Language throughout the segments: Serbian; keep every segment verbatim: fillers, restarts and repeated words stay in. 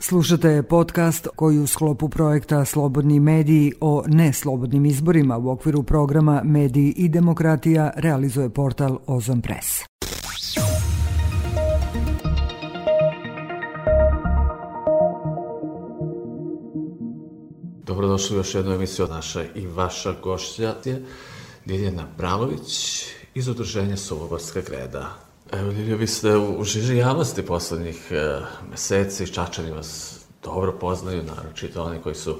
Slušate podcast koji u sklopu projekta Slobodni mediji o neslobodnim izborima u okviru programa Mediji i demokratija realizuje portal Ozon Press. Dobrodošli u još jednu emisiju od naša i vaša gošća je Ljiljana Bralović iz Udruženja Suvobarska greda. Evo, Ljilja, vi ste u žiži javnosti poslednjih e, meseci, Čačani vas dobro poznaju, naročito oni koji su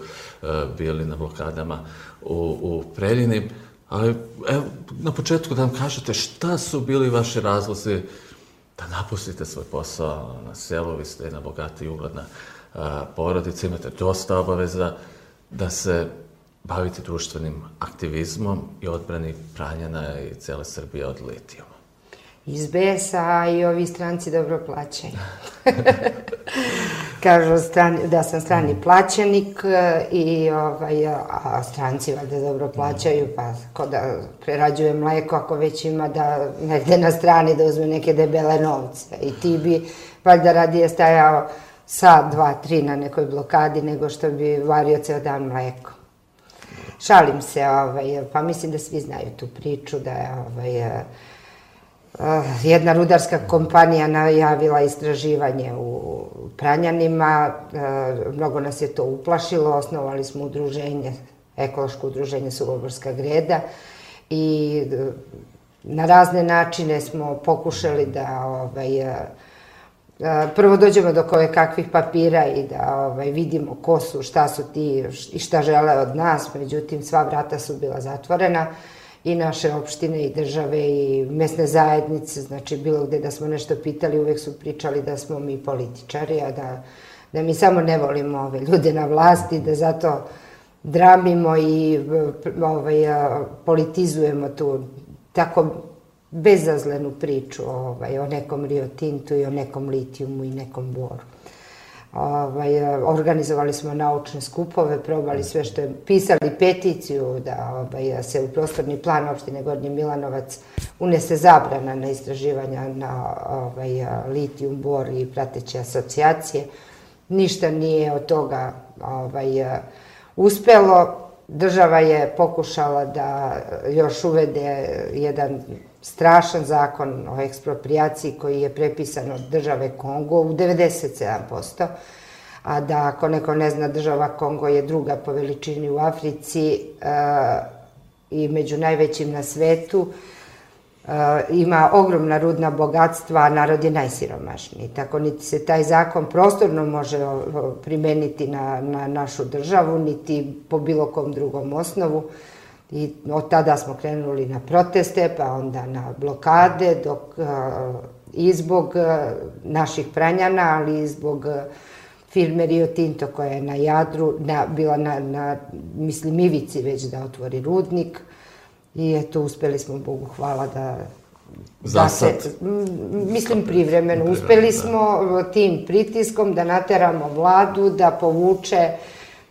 e, bili na blokadama u, u Preljini. Ali, evo, na početku da nam kažete šta su bili vaši razlozi da napustite svoj posao na selu, vi ste jedna bogata i ugledna e, porodica, imate dosta obaveza da se bavite društvenim aktivizmom i odbrani Pranjana i cele Srbije od litijuma. Iz besa i ovi stranci dobro plaćaju. Kažu strani, da sam strani plaćenik i ovaj, a stranci valjda dobro plaćaju, pa ko da prerađuje mleko ako već ima da negde na strani da uzme neke debele novce. I ti bi valjda radije stajao sat, dva, tri na nekoj blokadi nego što bi vario ceo dan mleko. Šalim se, ovaj, pa mislim da svi znaju tu priču da je ovaj, jedna rudarska kompanija najavila istraživanje u Pranjanima, mnogo nas je to uplašilo, osnovali smo udruženje, ekološko udruženje Suvobarska greda i na razne načine smo pokušali da ovaj, prvo dođemo do koje kakvih papira i da ovaj, vidimo ko su, šta su ti i šta žele od nas, međutim sva vrata su bila zatvorena. I naše opštine i države i mesne zajednice, znači bilo gde da smo nešto pitali, uvek su pričali da smo mi političari, a da, da mi samo ne volimo ove ljude na vlasti, da zato dramimo i ovaj, politizujemo tu tako bezazlenu priču ovaj, o nekom Rio Tintu i o nekom litijumu i nekom boru. Ovaj, organizovali smo naučne skupove, probali sve što je, pisali peticiju da ovaj, se u prostorni plan opštine Gornji Milanovac unese zabrana na istraživanja na ovaj, litijum, bor i prateće asocijacije. Ništa nije od toga ovaj, uspelo. Država je pokušala da još uvede jedan strašan zakon o eksproprijaciji koji je prepisan od države Kongo u devedeset sedam posto, a da ako neko ne zna, država Kongo je druga po veličini u Africi e, i među najvećim na svetu, e, ima ogromna rudna bogatstva, a narod je najsiromašniji. Tako niti se taj zakon prostorno može primeniti na, na našu državu, niti po bilo kom drugom osnovu. I od tada smo krenuli na proteste, pa onda na blokade, dok i zbog naših Pranjana, ali i zbog firme Rio Tinto koja je na Jadru, na, bila na, na, mislim, ivici već da otvori rudnik. I eto, uspeli smo, Bogu hvala, da... Za sad? Mislim, privremeno. Uspeli smo tim pritiskom da nateramo vladu da povuče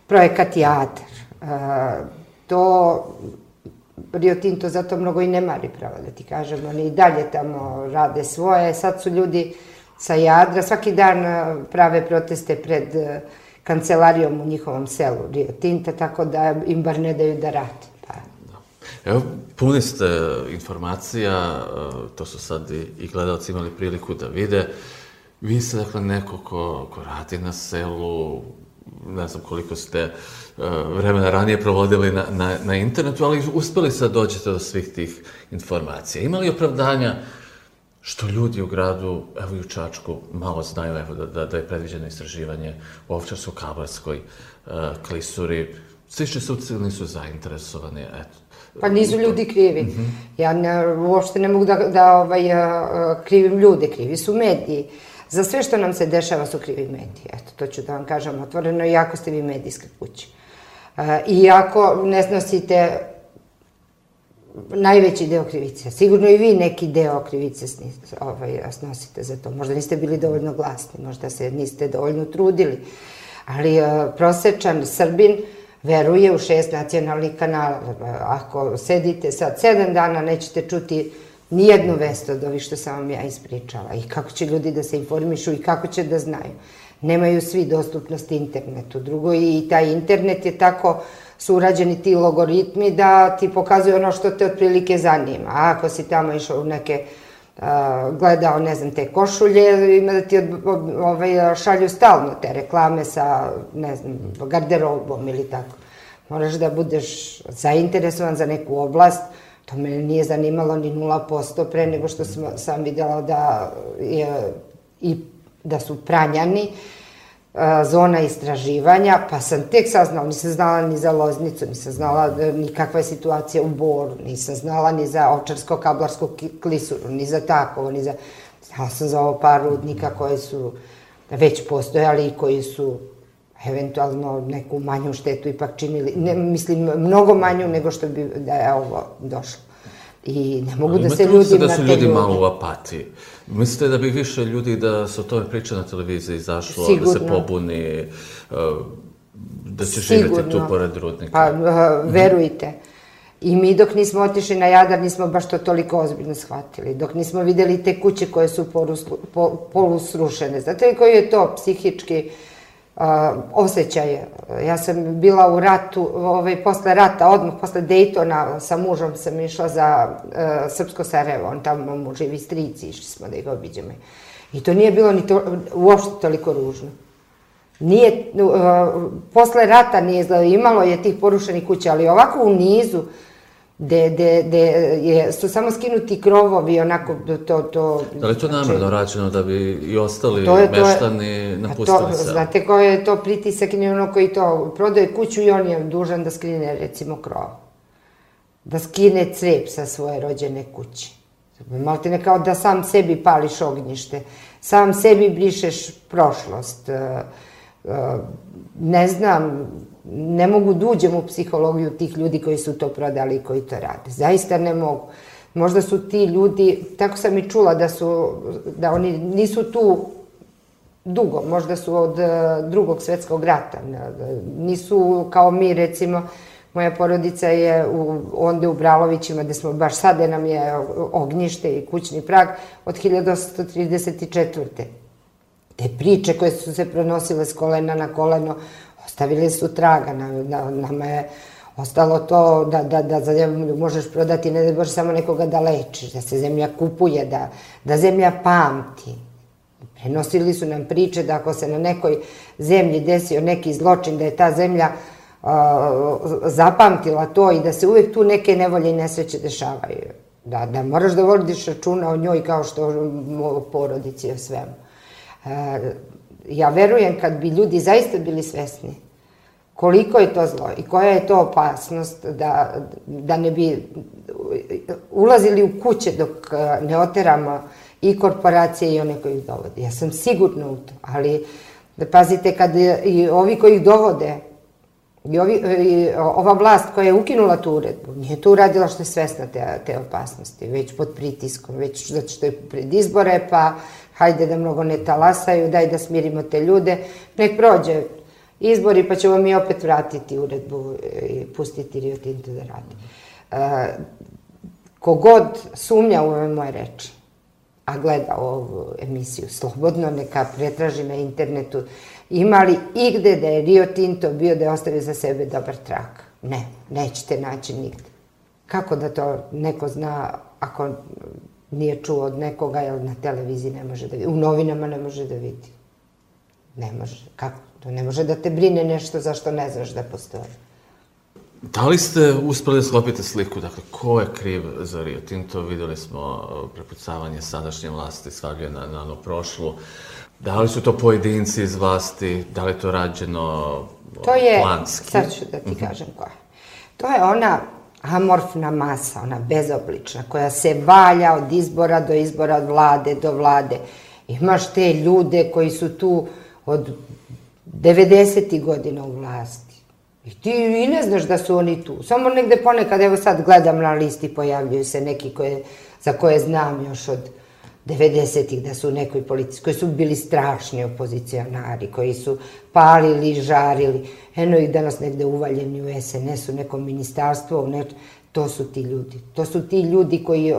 projekat Jadar. To Rio Tinto zato mnogo i ne mari, pravo da ti kažem. Oni i dalje tamo rade svoje. Sad su ljudi sa Jadra, svaki dan prave proteste pred kancelarijom u njihovom selu Rio Tinta, tako da im bar ne daju da rade. Pa. Evo, puni ste informacija, to su sad i gledalci imali priliku da vide. Vi ste, dakle, neko ko, ko radi na selu, ne znam koliko ste vremena ranije provodili na, na, na internetu, ali uspeli ste da dođete do svih tih informacija. Ima li opravdanja što ljudi u gradu, evo i u Čačku, malo znaju evo, da, da, da je predviđeno istraživanje u Ovčarsko-Kablarskoj uh, klisuri? Svi suci nisu zainteresovani, eto. Pa nisu ljudi krivi. Mm-hmm. Ja ne, uopšte ne mogu da, da ovaj, krivim ljude, krivi su mediji. Za sve što nam se dešava su krivi mediji. Eto, to ću da vam kažem otvoreno, iako ste vi medijska kuća. E, iako ne snosite najveći deo krivice. Sigurno i vi neki deo krivice ovaj, snosite za to. Možda niste bili dovoljno glasni, možda se niste dovoljno trudili. Ali e, prosečan Srbin veruje u šest nacionalnih kanala. Ako sedite sad sedam dana, nećete čuti nijednu vest od ovih što sam vam ja ispričala. I kako će ljudi da se informišu i kako će da znaju. Nemaju svi dostupnost internetu. Drugo, i taj internet je tako su urađeni ti logaritmi da ti pokazuju ono što te otprilike zanima. A ako si tamo išao u neke, gledao, ne znam, te košulje, ima da ti šalju stalno te reklame sa, ne znam, garderobom ili tako. Moraš da budeš zainteresovan za neku oblast. To me nije zanimalo ni nula posto pre nego što sam videla da je i da su Pranjani zona istraživanja, pa sam tek saznala, nisam znala ni za Loznicu, nisam znala ni kakva je situacija u Boru, nisam znala ni za Ovčarsko-Kablarsku klisuru, ni za Takovo, ni za... Znala sam za ovo par rudnika koji su već postojali i koji su eventualno neku manju štetu ipak činili, mislim, mnogo manju nego što bi da je ovo došlo. I ne mogu da se ljudi... Imate da su ljudi malo u apatiji. Mislite da bi više ljudi da se o tome priča na televiziji izašlo, da se pobuni, da će živjeti tu pored rudnika? Pa, verujte. I mi dok nismo otišli na Jadar nismo baš to toliko ozbiljno shvatili. Dok nismo videli te kuće koje su polusrušene. Znate li koji je to psihički osjećaj? Ja sam bila u ratu, posle rata, odmah posle Dejtona sa mužom sam išla za Srpsko Sarajevo, on tamo mu živi strici, išli smo da ih obiđemo. I to nije bilo uopšte toliko ružno. Nije, posle rata nije izgledalo, imalo je tih porušenih kuća, ali ovako u nizu, gde su samo skinuti krovovi, onako to... Da li je to namerno rađeno da bi i ostali meštani napustili se? Znate koji je to pritisak i ono koji to prodaje kuću i on je dužan da skine recimo krov. Da skine crep sa svoje rođene kuće. Maltene kao da sam sebi pališ ognjište, sam sebi brišeš prošlost. Ne znam, ne mogu da uđem u psihologiju tih ljudi koji su to prodali i koji to rade. Zaista ne mogu. Možda su ti ljudi, tako sam i čula da su, da oni nisu tu dugo, možda su od drugog svetskog rata. Nisu kao mi, recimo, moja porodica je onda u Bralovićima, gde smo baš sada nam je ognjište i kućni prag od hiljadu osamsto trideset četvrte. Te priče koje su se prenosile s kolena na koleno, ostavili su traga. Nama je ostalo to da za zemlju možeš prodati, ne da možeš samo nekoga da lečiš, da se zemlja kupuje, da zemlja pamti. Prenosili su nam priče da ako se na nekoj zemlji desio neki zločin, da je ta zemlja zapamtila to i da se uvek tu neke nevolje i nesreće dešavaju. Da moraš da vodiš računa o njoj kao što o porodici i o svemu. Ja verujem kad bi ljudi zaista bili svesni koliko je to zlo i koja je to opasnost da ne bi ulazili u kuće dok ne oteramo i korporacije i one koji ih dovode. Ja sam sigurna u to, ali da pazite kad i ovi koji ih dovode i ova vlast koja je ukinula tu uredbu, nije to uradila što je svesna te opasnosti, već pod pritiskom, već zato što je pred izbore, pa hajde da mnogo ne talasaju, daj da smirimo te ljude, nek prođe izbori pa ćemo mi opet vratiti uredbu i pustiti Rio Tinto da radi. Kogod sumnja u ove moje reči, a gleda ovu emisiju slobodno, neka pretraži na internetu, ima li igde da je Rio Tinto bio da je ostavio za sebe dobar trak? Ne, nećete naći nigde. Kako da to neko zna ako nije čuo od nekoga, jer na televiziji ne može da vidi, u novinama ne može da vidi. Ne može. Kako? To ne može da te brine nešto zašto ne znaš da postoji. Da li ste uspeli da sklopite sliku? Dakle, ko je kriv za Rio Tinto? Videli smo prepucavanje sadašnje vlasti, svagljuje na ono prošlu. Da li su to pojedinci iz vlasti? Da li je to rađeno planski? Sad ću da ti kažem koja je. To je ona amorfna masa, ona bezoblična, koja se valja od izbora do izbora, od vlade do vlade. Imaš te ljude koji su tu od devedesetih godina u vlasti. I ti i ne znaš da su oni tu. Samo negde ponekad, evo sad gledam na listi, pojavljuju se neki za koje znam još od devedesetih da su u nekoj politici, koji su bili strašni opozicionari, koji su palili, žarili. Eno ih danas negde uvaljeni u es en es, u nekom ministarstvu, to su ti ljudi. To su ti ljudi koji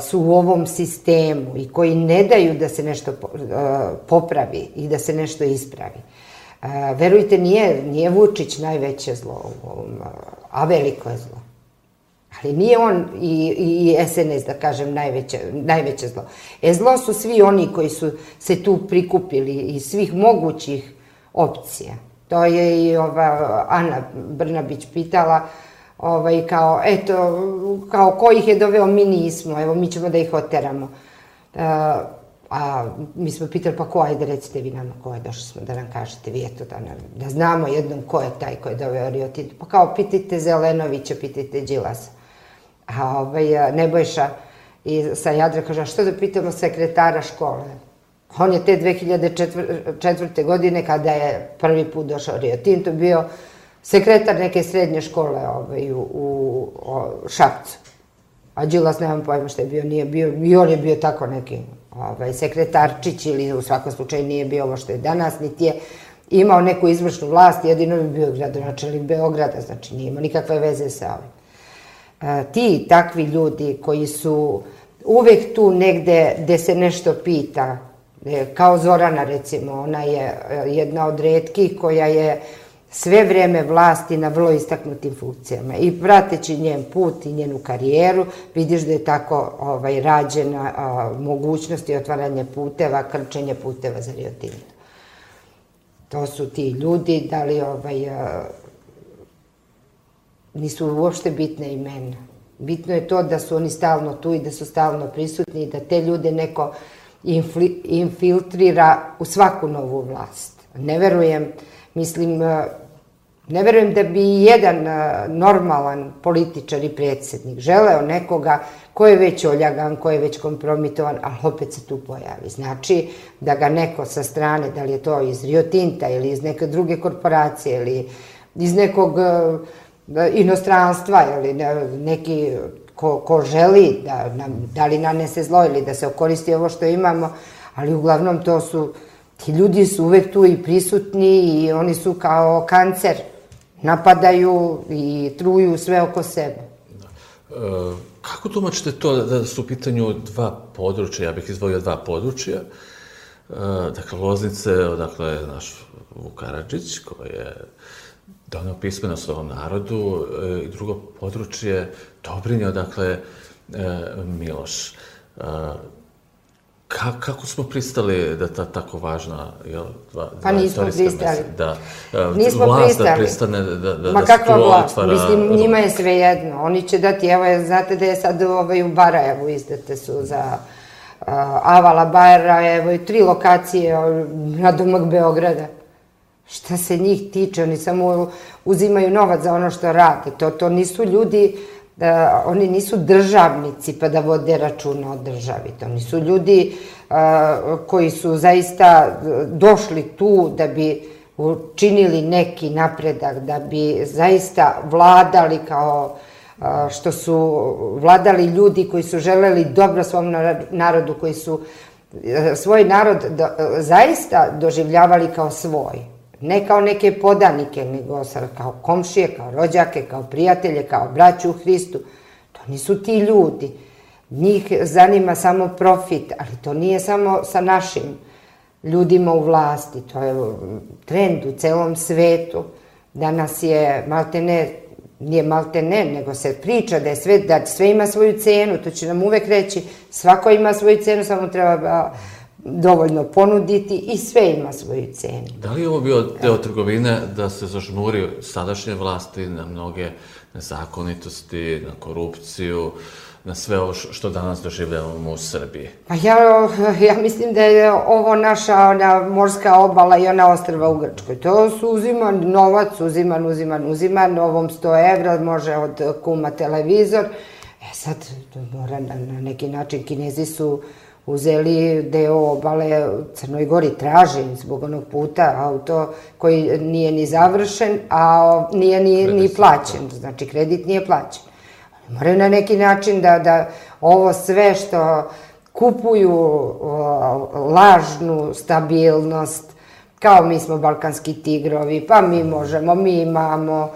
su u ovom sistemu i koji ne daju da se nešto popravi i da se nešto ispravi. Verujte, nije, nije Vučić najveće zlo u ovom, a veliko je zlo. Ali nije on i, i es en es, da kažem, najveće, najveće zlo. E, zlo su svi oni koji su se tu prikupili iz svih mogućih opcija. To je i ova Ana Brnabić pitala, ovaj, kao, eto, kao ko ih je doveo, mi nismo, evo, mi ćemo da ih oteramo. A, a mi smo pitali, pa ko, ajde, recite vi nama ko je, došli smo da nam kažete, vi eto, da, nam, da znamo jednom ko je taj ko je doveo Rio Tinto. Pa kao, pitajte Zelenovića, pitajte Đilasa. A ovaj, Nebojša i sa Jadra kaže, a što da pitamo sekretara škole? On je te dve hiljade četvrte. godine, kada je prvi put došao Rio Tinto, bio sekretar neke srednje škole ovaj, u, u Šapcu. A Đilas, nemam pojma što je bio, nije bio, i on je bio tako neki ovaj, sekretarčić ili u svakom slučaju nije bio ovo što je danas, niti je imao neku izvršnu vlast, jedino bi bio gradonačelnik Beograda, znači nije imao nikakve veze sa ovim. Ti takvi ljudi koji su uvek tu negde gde se nešto pita, kao Zorana recimo, ona je jedna od retkih koja je sve vreme vlasti na vrlo istaknutim funkcijama i prateći njen put i njenu karijeru vidiš da je tako ovaj, rađena a, mogućnost i otvaranje puteva, krčenje puteva za Rio Tinto. To su ti ljudi, da li ovaj, a, nisu uopšte bitne imena. Bitno je to da su oni stalno tu i da su stalno prisutni i da te ljude neko infiltrira u svaku novu vlast. Ne verujem, mislim, ne verujem da bi jedan normalan političar i predsjednik želeo nekoga ko je već oljagan, ko je već kompromitovan, ali opet se tu pojavi. Znači da ga neko sa strane, da li je to iz Rio Tinta ili iz neke druge korporacije ili iz nekog inostranstva ili neki ko, ko želi da, nam, da li nanese zlo ili da se okoristi ovo što imamo, ali uglavnom to su, ti ljudi su uvek tu i prisutni i oni su kao kancer, napadaju i truju sve oko sebe. E, kako tumačite to da su u pitanju dva područja, ja bih izdvojio dva područja, e, dakle Loznice, odakle je naš Vuk Karadžić, koji je doneo pismenost ovom narodu, i drugo područje Dobrinje, odakle Miloš. Kako smo pristali da ta tako važna, jel, dva istorijska mesta, da vlast da pristane, da se tu otvara... Mislim, njima je sve jedno. Oni će dati, evo, znate da je sad u Barajevu izdate su za Avala Barajevo i tri lokacije na domak Beograda. Šta se njih tiče, oni samo uzimaju novac za ono što rade. To, to nisu ljudi, da, oni nisu državnici pa da vode računa o državi. To nisu ljudi a, koji su zaista došli tu da bi učinili neki napredak, da bi zaista vladali kao a, što su vladali ljudi koji su želeli dobro svom narodu, koji su a, svoj narod do, zaista doživljavali kao svoj. Ne kao neke podanike, nego kao komšije, kao rođake, kao prijatelje, kao braću u Hristu. To nisu ti ljudi. Njih zanima samo profit, ali to nije samo sa našim ljudima u vlasti. To je trend u celom svetu. Danas je maltene, nije maltene, nego se priča da je sve, da sve ima svoju cenu. To će nam uvek reći, svako ima svoju cenu, samo treba dovoljno ponuditi i sve ima svoju cenu. Da li je ovo bio deo trgovine da se zažmuri sadašnje vlasti na mnoge nezakonitosti, na korupciju, na sve ovo što danas doživljavamo u Srbiji? Pa ja, ja mislim da je ovo naša ona morska obala i ona ostrva u Grčkoj. To su uziman novac, uziman, uziman, uziman, ovom sto evra može od kuma televizor. E sad, to mora na, na neki način, Kinezi su uzeli deo obale Crnoj Gori, tražim zbog onog puta, auto koji nije ni završen, a nije ni, ni plaćen, znači kredit nije plaćen. Moraju na neki način da, da ovo sve što kupuju o, lažnu stabilnost, kao mi smo balkanski tigrovi, pa mi možemo, mi imamo,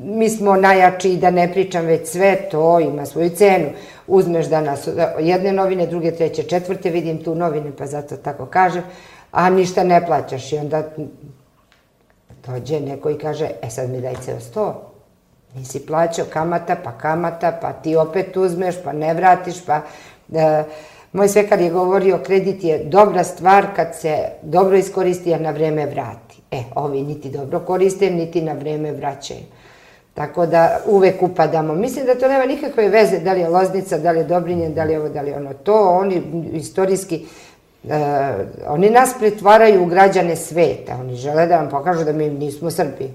mi smo najjači, da ne pričam već sve, to ima svoju cenu. Uzmeš danas jedne novine, druge, treće, četvrte, vidim tu novine, pa zato tako kažem, a ništa ne plaćaš i onda dođe neko i kaže, e sad mi daj ceo sto. Nisi plaćao kamata, pa kamata, pa ti opet uzmeš, pa ne vratiš, pa... Moj svekar je govorio, kredit je dobra stvar kad se dobro iskoristi, a na vreme vrati. E, ovi niti dobro koriste, niti na vreme vraćaju. Tako da uvek upadamo. Mislim da to nema nikakve veze, da li je Loznica, da li je Dobrinjen, da li je ovo, da li je ono. To oni istorijski, oni nas pretvaraju u građane sveta. Oni žele da vam pokažu da mi nismo Srbi.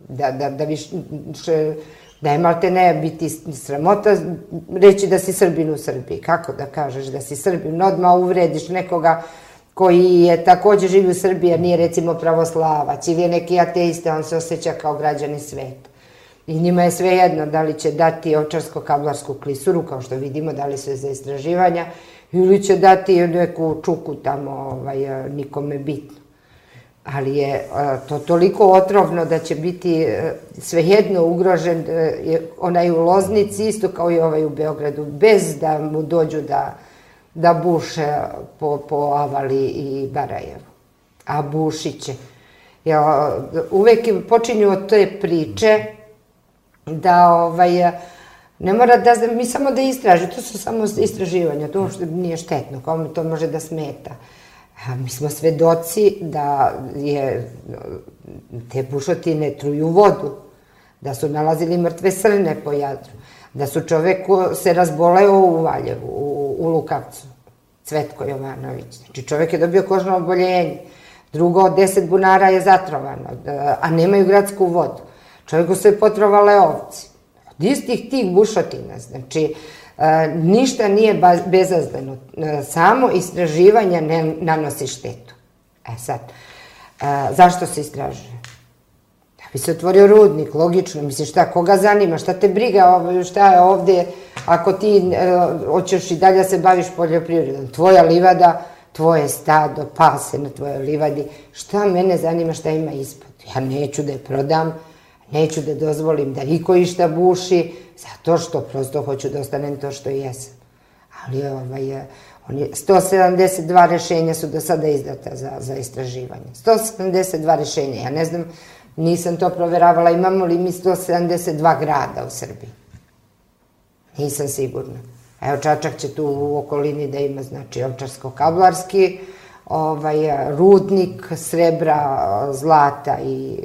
Da više... Da je malte ne biti sramota reći da si Srbin u Srbiji. Kako da kažeš da si Srbin? Odmah uvrediš nekoga koji je takođe živi u Srbiji, jer nije recimo pravoslavac ili je neki ateista, on se osjeća kao građani sveta. I njima je sve jedno da li će dati Ovčarsko-Kablarsku klisuru, kao što vidimo, da li su za istraživanja, ili će dati neku čuku tamo, nikome bitno. Ali je to toliko otrovno da će biti svejedno ugrožen onaj u Loznici, isto kao i ovaj u Beogradu, bez da mu dođu da buše po Avali i Barajevu. A bušit će. Uvek počinju od te priče da ne mora da, mi samo da istražimo, to su samo istraživanja, to uopšte nije štetno, kao mi to može da smeta. Mi smo svedoci da je te bušotine truju vodu, da su nalazili mrtve srne po Jadru, da su čovek se razboleo u Valjevu, u Lukavcu, Cvetko Jovanović. Znači čovek je dobio kožno oboljenje, drugo od deset bunara je zatrovano, a nemaju gradsku vodu. Čoveku se potrovale ovci. Od istih tih bušotina, znači... Ništa nije bezazleno, samo istraživanje ne nanosi štetu. E sad, zašto se istražuje? Da bi se otvorio rudnik, logično, misliš šta, koga zanima, šta te briga, šta je ovde, ako ti hoćeš i dalje se baviš poljoprivredom, tvoja livada, tvoje stado, pase na tvojoj livadi, šta mene zanima, šta ima ispod? Ja neću da je prodam, neću da dozvolim da iko išta buši, zato što prosto hoću da ostanem to što jesam. Ali sto sedamdeset dva rešenja su do sada izdata za istraživanje. sto sedamdeset dva rešenja, ja ne znam, nisam to proveravala, imamo li mi sto sedamdeset dva grada u Srbiji? Nisam sigurna. Evo, Čačak će tu u okolini da ima, znači, Ovčarsko-Kablarski, rudnik srebra, zlata i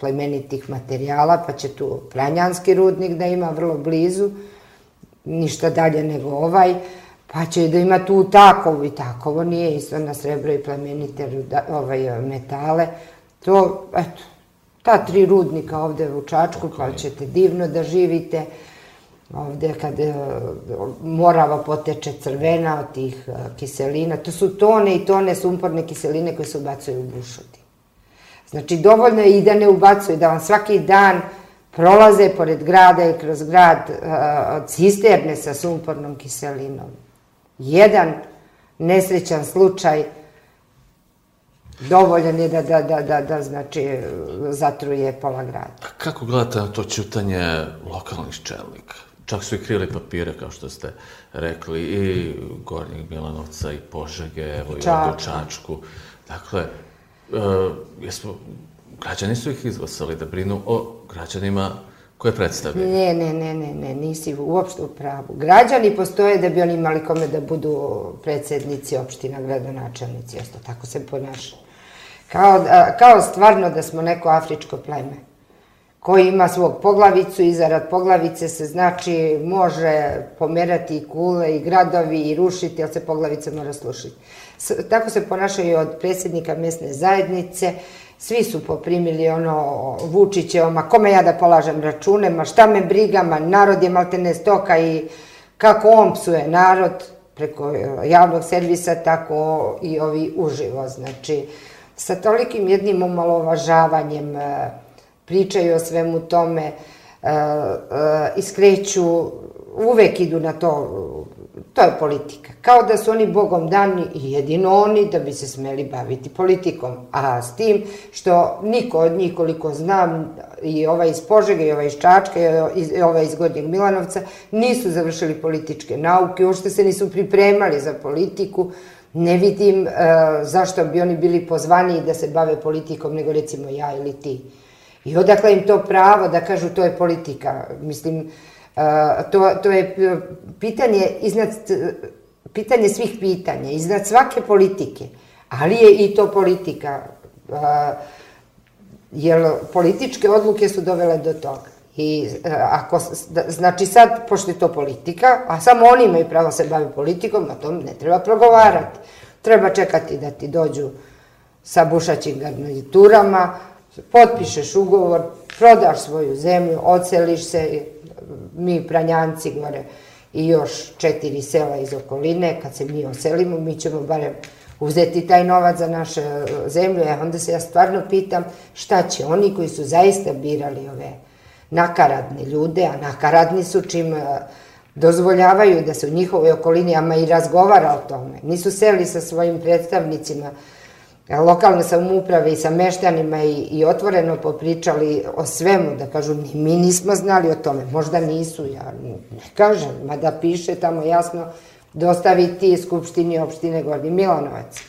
plemenitih materijala, pa će tu Pranjanski rudnik da ima vrlo blizu, ništa dalje nego ovaj, pa će da ima tu Takovo i Takovo nije isto na srebro i plemenite metale. To, eto, ta tri rudnika ovde u Čačku, pa ćete divno da živite. Ovde kad Morava poteče crvena od tih kiselina, to su tone i tone sumporne kiseline koje se ubacuju u bušotine. Znači, dovoljno je i da ne ubacuju, da vam svaki dan prolaze pored grada i kroz grad cisterne sa sumpornom kiselinom. Jedan nesrećan slučaj dovoljan je da, znači, zatruje pola grada. Kako gledate na to ćutanje lokalnih čelnika? Čak su i krili papire, kao što ste rekli, i Gornjeg Milanovca, i Požege, evo i ovdje u Čačku. Dakle, građani su ih izglasali da brinu o građanima koje predstavljaju. Ne, ne, ne, ne, ne, nisi uopšte u pravu. Građani postoje da bi oni imali kome da budu predsednici opština, gradonačelnici, isto tako se ponašaju. Kao stvarno da smo neko afričko pleme koji ima svog poglavicu i zarad poglavice se, znači, može pomerati i kule i gradovi i rušiti, ali se poglavica mora slušiti. Tako se ponašaju od predsjednika mesne zajednice, svi su poprimili ono Vučićevo, ma kome ja da polažem račune, ma šta me briga, ma narod je maltene stoka i kako on psuje narod preko javnog servisa, tako i ovi uživo, znači, sa tolikim jednim omalovažavanjem pričaju o svemu tome, iskreću, uvek idu na to, to je politika. Kao da su oni bogom dani i jedino oni da bi se smeli baviti politikom. A s tim što niko od njih, koliko znam, i ovaj iz Požege, i ovaj iz Čačka, i ovaj iz Gornjeg Milanovca, nisu završili političke nauke, uopšte se nisu pripremali za politiku. Ne vidim zašto bi oni bili pozvaniji da se bave politikom nego recimo ja ili ti. I odakle im to pravo da kažu to je politika. Mislim, to je pitanje iznad, pitanje svih pitanja, iznad svake politike, ali je i to politika, jer političke odluke su dovele do toga. I ako, znači sad, pošto je to politika, a samo oni imaju pravo se baviti politikom, a to ne treba progovarati. Treba čekati da ti dođu sa bušaćim garniturama, potpišeš ugovor, prodaš svoju zemlju, odseliš se, mi Pranjanci gore i još četiri sela iz okoline, kad se mi oselimo, mi ćemo barem uzeti taj novac za našu zemlju. E, onda se ja stvarno pitam šta će oni koji su zaista birali ove nakaradne ljude, a nakaradni su čim dozvoljavaju da se u njihovoj okolini, ama i razgovara o tome. Nisu seli sa svojim predstavnicima lokalne samouprave i sa meštanima i otvoreno popričali o svemu, da kažu mi nismo znali o tome, možda nisu, ja ne kažem, mada piše tamo jasno dostaviti Skupštini opštine Gornji Milanovac.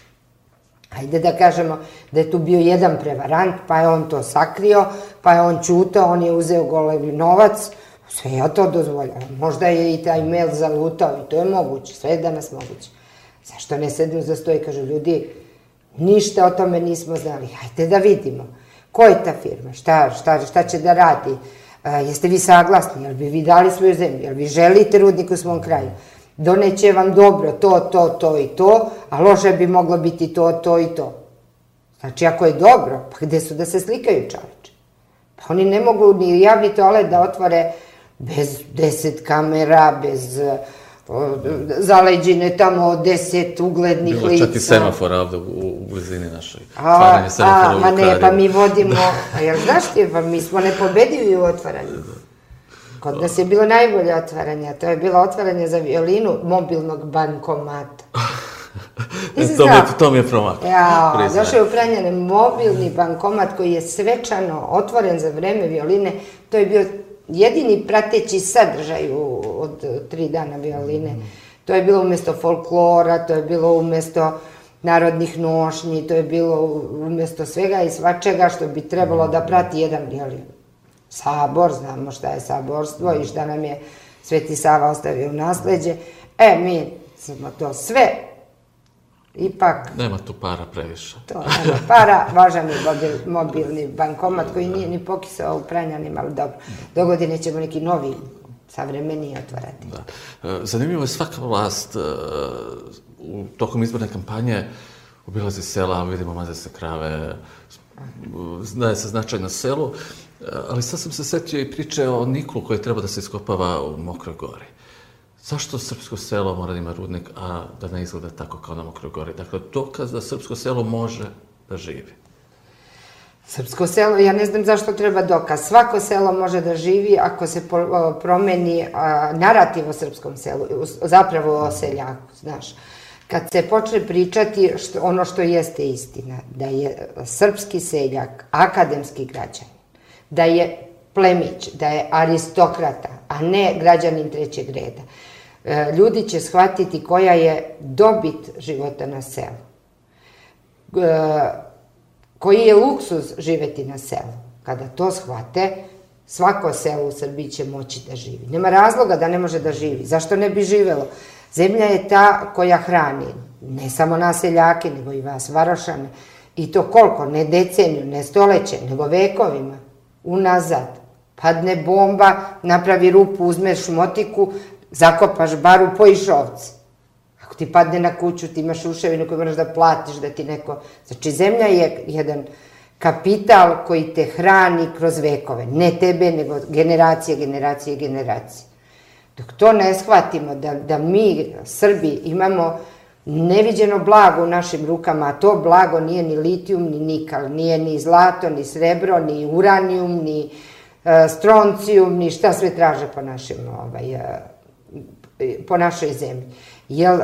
Hajde da kažemo da je tu bio jedan prevarant, pa je on to sakrio, pa je on ćutao, on je uzeo golevi novac, sve ja to dozvoljavam. Možda je i taj mail zalutao i to je moguće, sve je danas moguće. Zašto ne sednu za sto i kažu ljudi, ništa o tome nismo znali, hajde da vidimo. Ko je ta firma, šta će da radi, jeste vi saglasni, jel bi vi dali svoju zemlju, jel vi želite rudnik u svom kraju, doneće vam dobro to, to, to i to, a loše bi moglo biti to, to i to. Znači, ako je dobro, pa gde su da se slikaju čoveče? Pa oni ne mogu ni javni toalet da otvore bez deset kamera, bez zaleđine tamo deset uglednih lica. Bilo čak i semafora ovde u blizini našoj. Otvaranje semafora u Vukariju. Ma ne, pa mi vodimo, a jel znaš ti, pa mi smo nepobedivi u otvaranju. Kod nas je bilo najbolje otvaranje, to je bilo otvaranje za violinu mobilnog bankomata. To mi je promaklo. Ja, došao je u Pranjane mobilni bankomat koji je svečano otvoren za vreme violine, to je bio jedini prateći sadržaj od tri dana violine. To je bilo umesto folklora, to je bilo umesto narodnih nošnji, to je bilo umesto svega i svačega što bi trebalo da prati jedan violin. Sabor, znamo šta je saborstvo i šta nam je Sveti Sava ostavio u nasleđe. E, mi smo to sve, ipak... Nema tu para previše. To, nema para, važan je mobilni bankomat koji nije ni pokisao u Pranjanima, ali dobro. Do godine ćemo neki novi, savremeniji otvarati. Zanimljivo je svaka vlast tokom izborne kampanje obilazi sela, vidimo maze se krave, daje se značaj na selu, ali sad sam se setio i priče o niklu koji treba da se iskopava u Mokroj Gori. Zašto srpsko selo mora da ima rudnik, a da ne izgleda tako kao na Mokroj Gori? Dakle, dokaz da srpsko selo može da živi. Srpsko selo, ja ne znam zašto treba dokaz. Svako selo može da živi ako se promeni narativ o srpskom selu, zapravo o seljaku, znaš. Kad se počne pričati ono što jeste istina, da je srpski seljak akademski građanin, da je plemić, da je aristokrata, a ne građanin trećeg reda, ljudi će shvatiti koja je dobit života na selu. Koji je luksuz živeti na selu. Kada to shvate, svako selo u Srbiji će moći da živi. Nema razloga da ne može da živi. Zašto ne bi živelo? Zemlja je ta koja hrani ne samo nas seljake, nego i vas varošane. I to koliko? Ne deceniju, ne stoleće, nego vekovima. Unazad. Padne bomba, napravi rupu, uzmeš motiku, zakopaš baru, pojiš ovce. Ako ti padne na kuću, ti imaš uševinu koju moraš da platiš, da ti neko... Znači, zemlja je jedan kapital koji te hrani kroz vekove. Ne tebe, nego generacije, generacije, generacije. Dok to ne shvatimo, da mi, Srbi, imamo neviđeno blago u našim rukama, a to blago nije ni litijum, ni nikal, nije ni zlato, ni srebro, ni uranijum, ni stroncijum, ni šta sve traže po našim po našoj zemlji. Jer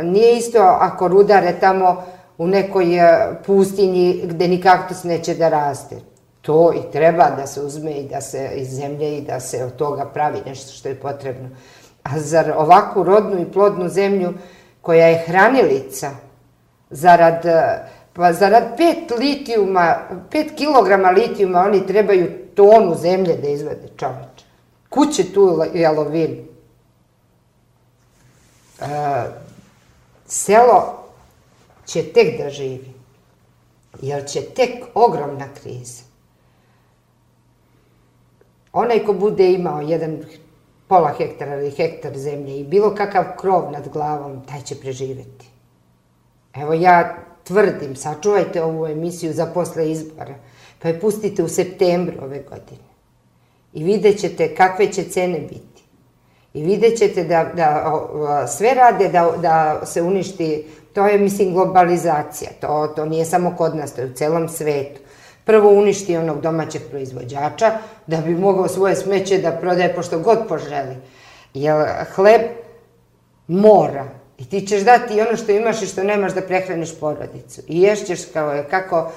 nije isto ako rudare tamo u nekoj pustinji gde ni kaktus neće da raste. To i treba da se uzme i da se iz zemlje i da se od toga pravi nešto što je potrebno. A zar ovakvu rodnu i plodnu zemlju koja je hranilica, zarad, pa zarad pet litijuma, pet kilograma litijuma oni trebaju tonu zemlje da izvade, čoveče. Kud će tu jalovinu? E, selo će tek da živi, jer će tek ogromna kriza. Onaj ko bude imao jedan pola hektara ili hektar zemlje i bilo kakav krov nad glavom, taj će preživeti. Evo ja tvrdim, sačuvajte ovu emisiju za posle izbora, pa je pustite u septembru ove godine. I vidjet ćete kakve će cene biti. I vidjet ćete da, da sve rade da, da se uništi, to je, mislim, globalizacija. To, to nije samo kod nas, to je u celom svetu. Prvo uništi onog domaćeg proizvođača, da bi mogao svoje smeće da prodaje pošto god poželi. Jer hleb mora. I ti ćeš dati ono što imaš i što nemaš da prehraniš porodicu. I ješćeš kao, kako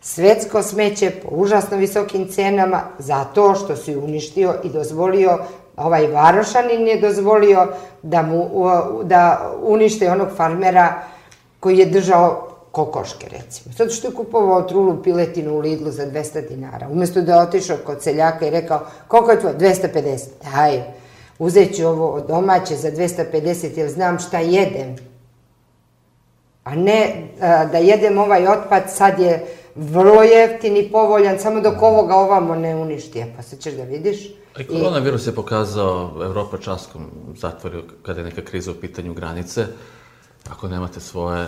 svetsko smeće po užasno visokim cenama zato što si uništio i dozvolio, ovaj Varošanin je dozvolio da, mu, da unište onog farmera koji je držao kokoške, recimo. Zato što je kupovao trulu piletinu u Lidlu za dvesta dinara. Umesto da je otišao kod seljaka i rekao, koliko je tvoje? dvesta pedeset. Daj, uzet ću ovo domaće za dvesta pedeset jer znam šta jedem. A ne a, da jedem ovaj otpad, sad je vrlo jeftin i povoljan, samo dok ovoga ovamo ne uništi. Pa sad ćeš da vidiš. I koronavirus je pokazao, Evropa časkom zatvorio kada je neka kriza u pitanju granice. Ako nemate svoje...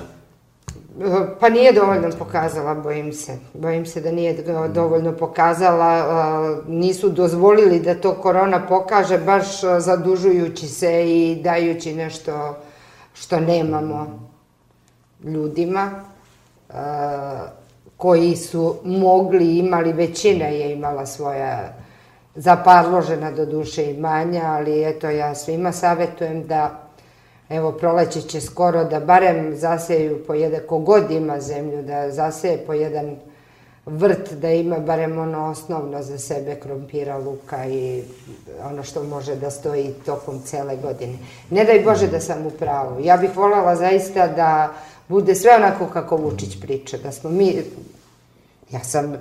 Pa nije dovoljno pokazala, bojim se. Bojim se da nije dovoljno pokazala. Nisu dozvolili da to korona pokaže, baš zadužujući se i dajući nešto što nemamo ljudima koji su mogli, imali, većina je imala svoja zaparložena do duše imanja, ali eto ja svima savjetujem da evo, proleće će skoro da barem zaseju po jedan, kogod ima zemlju, da zaseje po jedan vrt, da ima barem ono osnovno za sebe, krompira, luka i ono što može da stoji tokom cele godine. Ne daj Bože da sam u pravu. Ja bih voljela zaista da bude sve onako kako Vučić priča, da smo mi, ja sam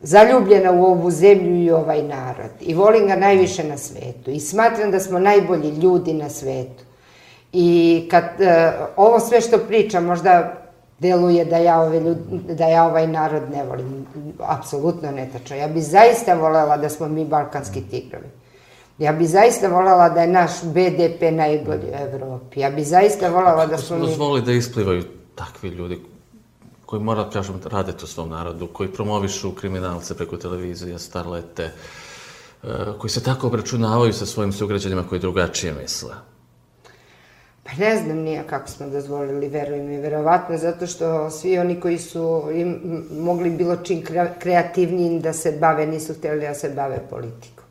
zaljubljena u ovu zemlju i ovaj narod i volim ga najviše na svetu i smatram da smo najbolji ljudi na svetu. I kad uh, ovo sve što pričam možda deluje da ja, ove ljudi, da ja ovaj narod ne volim, apsolutno netačno. Ja bi zaista voljela da smo mi balkanski tigrovi. Ja bi zaista voljela da je naš be de pe najbolji u Evropi. Ja bi zaista voljela da smo mi... Dozvoli da isplivaju takvi ljudi koji, moram kažem, rade to svom narodu, koji promovišu kriminalce preko televizije, starlete, koji se tako obračunavaju sa svojim sugrađanima koji drugačije misle. Pa ne znam nije kako smo dozvolili, verujem mi, verovatno, zato što svi oni koji su im, mogli bilo čim kreativnijim da se bave, nisu htjeli da se bave politikom.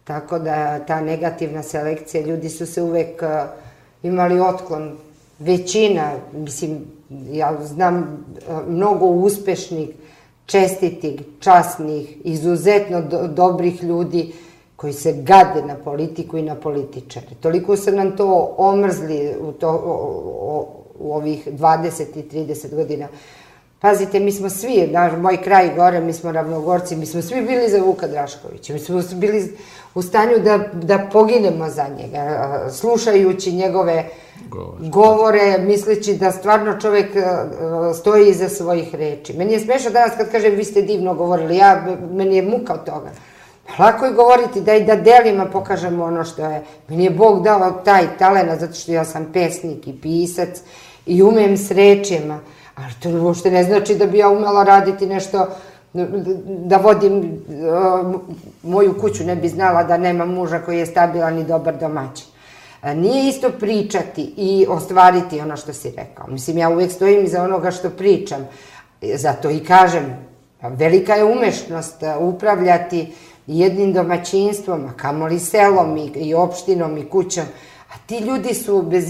Tako da ta negativna selekcija, ljudi su se uvek uh, imali otklon. Većina, mislim, ja znam uh, mnogo uspešnih, čestitih, časnih, izuzetno do, dobrih ljudi koji se gade na politiku i na političare. Toliko su nam to omrzli u, to, o, o, u ovih dvadeset i trideset godina. Pazite, mi smo svi, naš, moj kraj gore, mi smo Ravnogorci, mi smo svi bili za Vuka Draškovića. Mi smo bili u stanju da, da poginemo za njega, slušajući njegove govore, govore misleći da stvarno čovjek stoji iza svojih reči. Meni je smešno danas kad kažem vi ste divno govorili, ja, meni je muka od toga. Lako je govoriti da i da delima pokažemo ono što je. Meni je Bog dao taj talent zato što ja sam pesnik i pisac i umem s rečima. Ali to uopšte ne znači da bi ja umela raditi nešto, da vodim moju kuću, ne bi znala da nema muža koji je stabilan i dobar domaćin. Nije isto pričati i ostvariti ono što si rekao. Mislim, ja uvek stojim iza onoga što pričam. Zato i kažem, velika je umešnost upravljati jednim domaćinstvom, a kamoli selom i, i opštinom i kućom. A ti ljudi su bez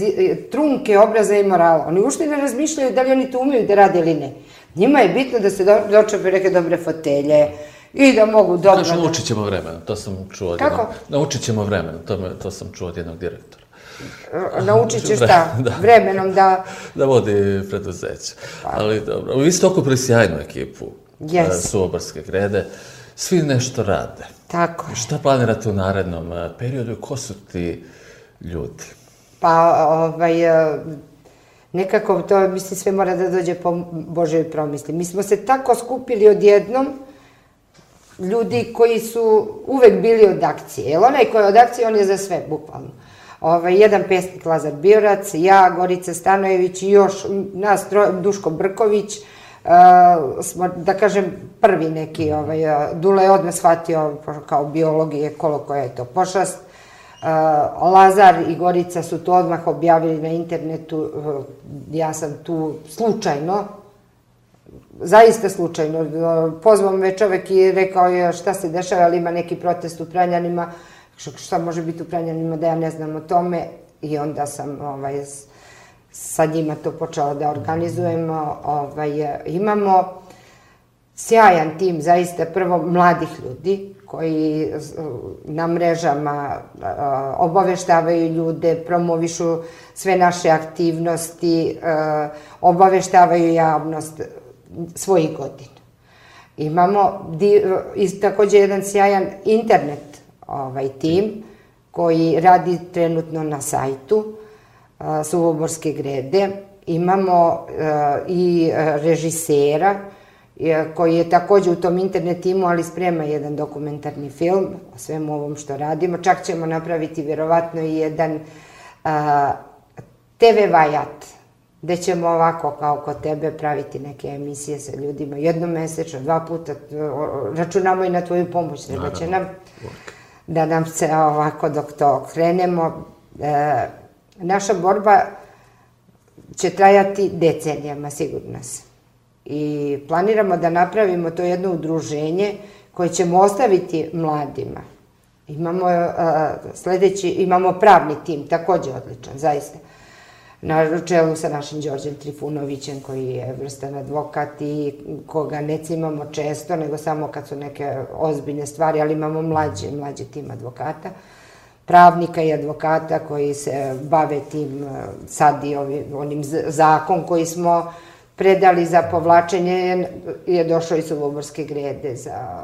trunke obraza i morala. Oni uopšte ne razmišljaju da li oni to umeju da rade ili ne. Njima je bitno da se do, dočepe neke dobre fotelje i da mogu dobro... Znaš, naučit ćemo vremenom, to sam čuo od jednog... Kako? Naučit ćemo vremenom, to, me, to sam čuo od jednog direktora. Naučit će šta? Da. Vremenom da... Da vodi preduzeće. Pa. Ali dobro, vi ste okupili sjajnu ekipu yes. Suvobarske grede, svi nešto rade. Tako je. Šta planirate u narednom periodu i ko su ti ljudi? Pa, ovaj, nekako to, mislim, sve mora da dođe po Božoj promisli. Mi smo se tako skupili odjednom, ljudi koji su uvek bili od akcije. Jer onaj koji je od akcije, on je za sve, bukvalno. Ovaj, jedan pesnik Lazar Biorac, ja, Gorica Stanojević i još nas, Duško Brković, uh, smo, da kažem, prvi neki, ovaj, Dule je odmah shvatio kao biolog i ekolog koja je to pošast. Uh, Lazar i Gorica su to odmah objavili na internetu, uh, ja sam tu slučajno, zaista slučajno, uh, pozvao me čovek i rekao je šta se dešava, ali ima neki protest u Pranjanima, šta može biti u Pranjanima da ja ne znam o tome, i onda sam ovaj, sa njima to počela da organizujemo. Ovaj, imamo sjajan tim, zaista, prvo mladih ljudi koji na mrežama obaveštavaju ljude, promovišu sve naše aktivnosti, obaveštavaju javnost svojih godina. Imamo takođe jedan sjajan internet ovaj tim koji radi trenutno na sajtu Suvobarske grede. Imamo i režisera koji je takođe u tom internet timu, ali sprema jedan dokumentarni film o svemu ovom što radimo. Čak ćemo napraviti vjerovatno i jedan te ve vajat, gde ćemo ovako kao kod tebe praviti neke emisije sa ljudima jednom mesečno, dva puta. Računamo i na tvoju pomoć, treba će nam da nam se ovako dok to krenemo. Naša borba će trajati decenijama, sigurno se. I planiramo da napravimo to jedno udruženje koje ćemo ostaviti mladima. Imamo sledeći, imamo pravni tim, takođe odličan, zaista. Na čelu sa našim Đorđem Trifunovićem, koji je vrstan advokat i koga ne cimamo često, nego samo kad su neke ozbiljne stvari, ali imamo mlađi, mlađi tim advokata, pravnika i advokata koji se bave tim sad i onim zakon koji smo predali za povlačenje, je došao iz Suvobarske grede za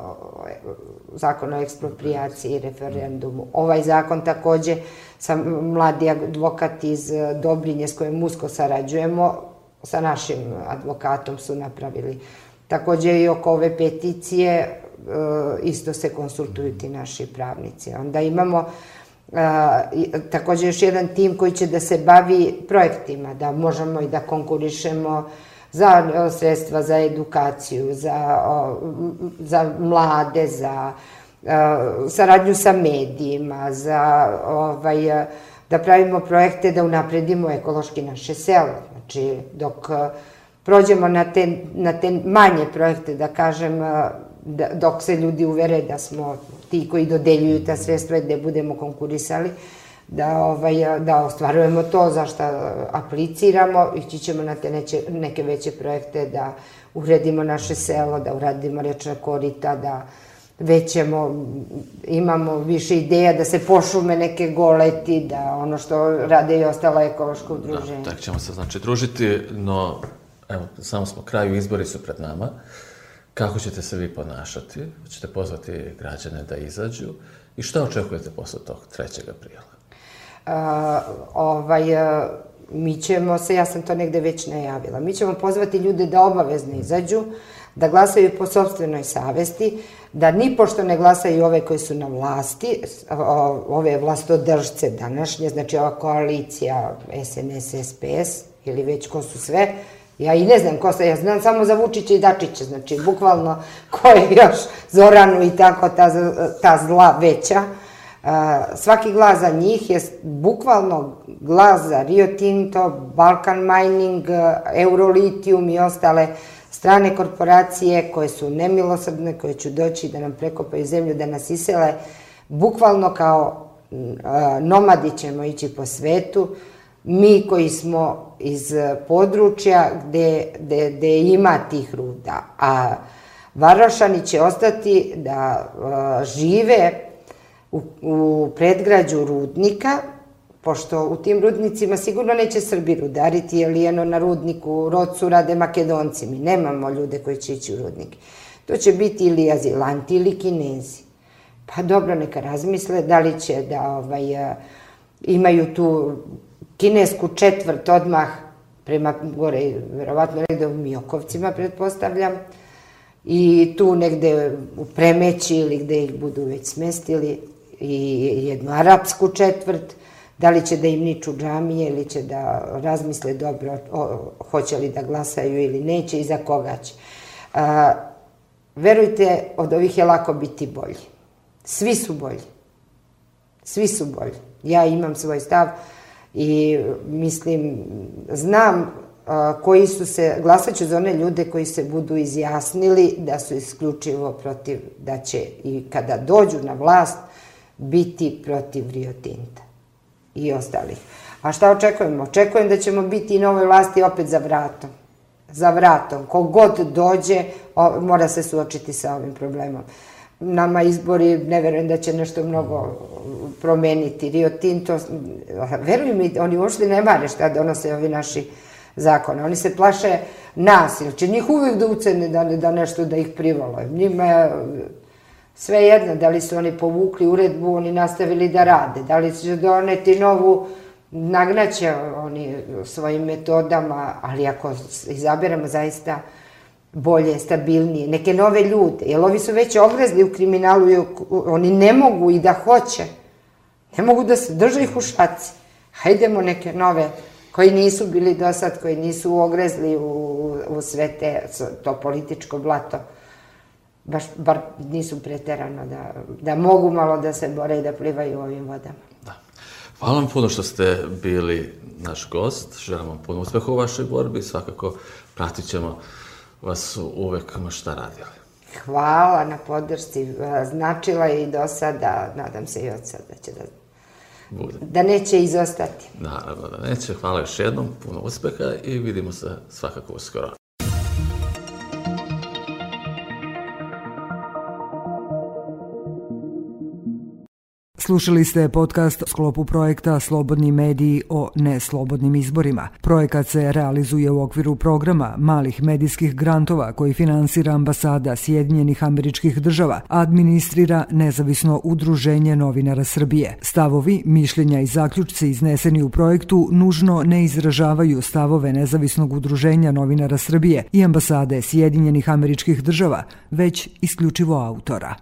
zakon o eksproprijaciji i referendumu. Ovaj zakon takođe sam mladi advokat iz Dobrinje s kojim usko sarađujemo, sa našim advokatom su napravili. Takođe i oko ove peticije isto se konsultuju ti naši pravnici. Onda imamo takođe još jedan tim koji će da se bavi projektima, da možemo i da konkurišemo za sredstva za edukaciju, za, za mlade, za saradnju sa medijima, za ovaj, da pravimo projekte da unapredimo ekološki naše selo. Znači, dok prođemo na te, na te manje projekte, da kažem, da, dok se ljudi uvere da smo ti koji dodeljuju ta sredstva i gde budemo konkurisali, da, ovaj, da ostvarujemo to za što apliciramo, ići ćemo na te neće, neke veće projekte da uredimo naše selo, da uradimo rečna korita, da većemo, imamo više ideja da se pošume neke goleti, da ono što rade i ostala ekološka udruženja. Da, tako ćemo se znači družiti, no evo, samo smo kraju, izbori su pred nama. Kako ćete se vi ponašati? Hoćete pozvati građane da izađu i šta očekujete posle tog trećeg aprila? Uh, ovaj, uh, mi ćemo se, ja sam to negde već najavila, mi ćemo pozvati ljude da obavezno izađu, da glasaju po sopstvenoj savesti, da nipošto ne glasaju ove koji su na vlasti, ove vlastodržce današnje, znači ova koalicija es en es es pe es ili već ko su sve. Ja i ne znam ko se, ja znam samo za Vučića i Dačića, znači bukvalno ko je još Zoranu i tako ta, ta zla veća. Uh, svaki glas za njih je bukvalno glas za Rio Tinto, Balkan Mining, Eurolitijum i ostale strane korporacije koje su nemilosrdne, koje će doći da nam prekopaju zemlju, da nas isele, bukvalno kao nomadi ćemo ići po svetu. Mi koji smo iz područja gde, gde, gde ima tih ruda, a Varošani će ostati da uh, žive u, u predgrađu rudnika, pošto u tim rudnicima sigurno neće Srbi rudariti, jer jedno na rudniku u Rocu rade Makedonci. Mi nemamo ljude koji će ići u rudnike. To će biti ili azilanti ili Kinezi. Pa dobro, neka razmisle da li će da ovaj, uh, imaju tu kinesku četvrt odmah prema gore, verovatno negde u Miokovcima, pretpostavljam, i tu negde u Premeći ili gde ih budu već smestili, i jednu arapsku četvrt, da li će da im niču džamije ili će da razmisle dobro o, hoće li da glasaju ili neće i za koga će. A, verujte, od ovih je lako biti bolji. Svi su bolji. Svi su bolji. Ja imam svoj stav i mislim, znam koji su se, glasat ću za one ljude koji se budu izjasnili da su isključivo protiv, da će i kada dođu na vlast biti protiv Rio Tinta i ostalih. A šta očekujemo? Očekujem da ćemo biti i nove vlasti opet za vratom. Za vratom. Kogod dođe, mora se suočiti sa ovim problemom. Nama izbori, ne verujem da će nešto mnogo promeniti. Rio Tinto, verujem mi, oni uopšte ne mare šta donose ovi naši zakone. Oni se plaše nas, ili će njih uvijek da ucene da, da nešto da ih privole. Njima je sve jedno, da li su oni povukli uredbu, oni nastavili da rade, da li će doneti novu, nagnaće oni svojim metodama, ali ako izaberemo zaista bolje, stabilnije, neke nove ljude, jer ovi su već ogrezli u kriminalu i oni ne mogu i da hoće, ne mogu da se drže ih u šaci. Hajdemo neke nove koji nisu bili do sad, koji nisu ogrezli u, u sve te, to političko blato, baš, bar nisu preterano da, da mogu malo da se bore i da plivaju u ovim vodama. Da. Hvala vam puno što ste bili naš gost, želim vam puno uspeha u vašoj borbi, svakako pratit ćemo vas uvek ma šta radili. Hvala na podršci, značila je i do sada, nadam se i od sada da će da bude. Da neće izostati. Naravno da neće. Hvala još jednom, puno uspeha i vidimo se svakako uskoro. Slušali ste podcast u sklopu projekta Slobodni mediji o neslobodnim izborima. Projekat se realizuje u okviru programa malih medijskih grantova koji finansira ambasada Sjedinjenih Američkih Država, a administrira nezavisno udruženje novinara Srbije. Stavovi, mišljenja i zaključci izneseni u projektu nužno ne izražavaju stavove nezavisnog udruženja novinara Srbije i ambasade Sjedinjenih Američkih Država, već isključivo autora.